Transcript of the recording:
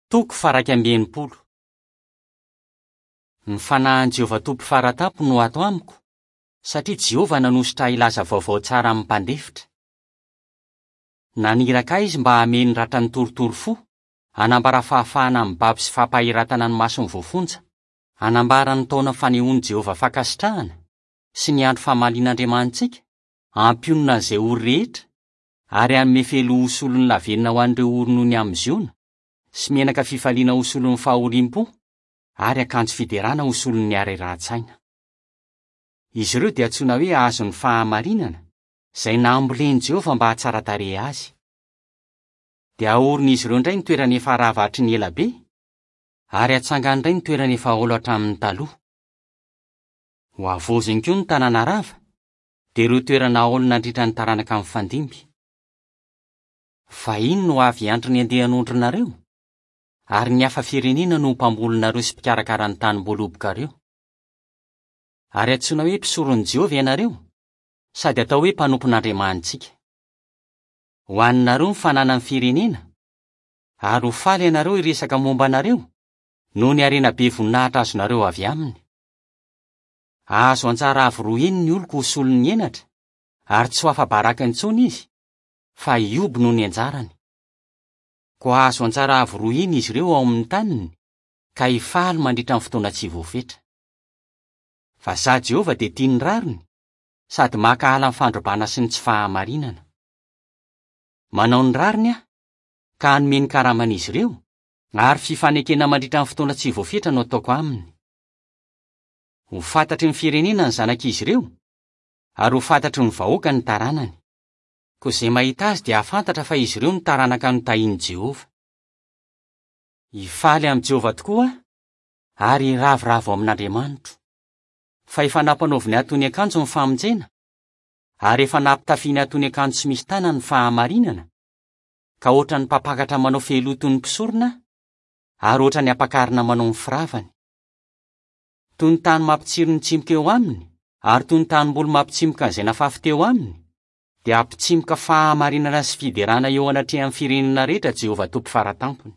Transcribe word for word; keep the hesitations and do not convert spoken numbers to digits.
Toko faha-iraika amby enimpolo. Ny fanahin'i Jehovah Tompo Fara Tampony no ato amiko, satria Jehovah nanosotra ahy hilaza vaovao tsara amin'ny mpandefitra. Naniraka ahy izy mba hamehy ny ratran'ny torotoro fo, hanambara fahafahana amin'ny babo sy fampahiratana ny mason'ny voafonja, hanambara ny taona fanehoan'i Jehovah fankasitrahana sy ny andro famalian'Andriamanitsika, hampionona an'izay ory rehetra, ary hanome fehiloha ho solon'ny lavenona ho an'ireo ory noho ny amin'i Ziona, sy menaka fifaliana ho solon'ny fahoriam-po, ary akanjo fiderana ho solon'ny harerahan-tsaina. Izy ireo dia antsoina hoe hazon'ny fahamarinana, izay nambolen'i Jehovah mba hahatsara-tarehy azy. Dia haorin'izy ireo indray ny toerana efa rava hatry ny ela be, ary hatsangany indray ny toerana efa haolo hatramin'ny taloha. Ho havaoziny koa ny tanàna rava, dia ireo toerana haolo nandritra ny taranaka mifandimby. Vahiny no avy hiantry ny andian'ondrinareo, ary ny hafa firenena no ho mpambolinareo sy mpikarakara ny tanim-boalobokareo. Ary antsoina hoe mpisoron'i Jehovah ianareo, sady atao hoe mpanompon'Andriamanitsika. Ho haninareo ny fananan'ny firenena, ary ho faly ianareo hiresaka momba anareo, noho ny harena be voninahitra azonareo avy aminy. Hahazo anjara avo roa heny ny oloko ho solon'ny henatra, ary tsy ho afa-baraka intsony izy, fa hihoby noho ny anjarany. Koa hahazo anjara avo roa heny izy ireo ao amin'ny taniny, ka hifaly mandritra ny fotoana tsy voafetra. Fa izaho Jehovah dia tia ny rariny, sady mankahala ny fandrobana sy ny tsy fahamarinana. Manao ny rariny aho, ka hanome ny karaman'izy ireo, ary fifanekena mandritra ny fotoana tsy voafetra no ataoko aminy. Ho fantatry ny firenena ny zanak'izy ireo, ary ho fantatry ny vahoaka ny taranany. Koa izay mahita azy dia hahafantatra fa izy ireo no taranaka notahian'i Jehovah. Hifaly amin'i Jehovah tokoa aho, ary hiravoravo amin'Andriamanitro. Fa efa nampanaoviny ahy toy ny akanjo ny famonjena, ary efa nampitafiany ahy toy ny akanjo tsy misy tanany ny fahamarinana, ka hoatran'ny mpampakatra manao fehiloha toy ny mpisorona aho, ary hoatran'ny ampakarina manao ny firavany. Toy ny tany mampitsiry ny tsimoka eo aminy, ary toy ny tanimboly mampitsimoka an'izay nafafy teo aminy, dia hampitsimoka fahamarinana sy fiderana eo anatrehan'ny firenena rehetra Jehovah Tompo Fara Tampony.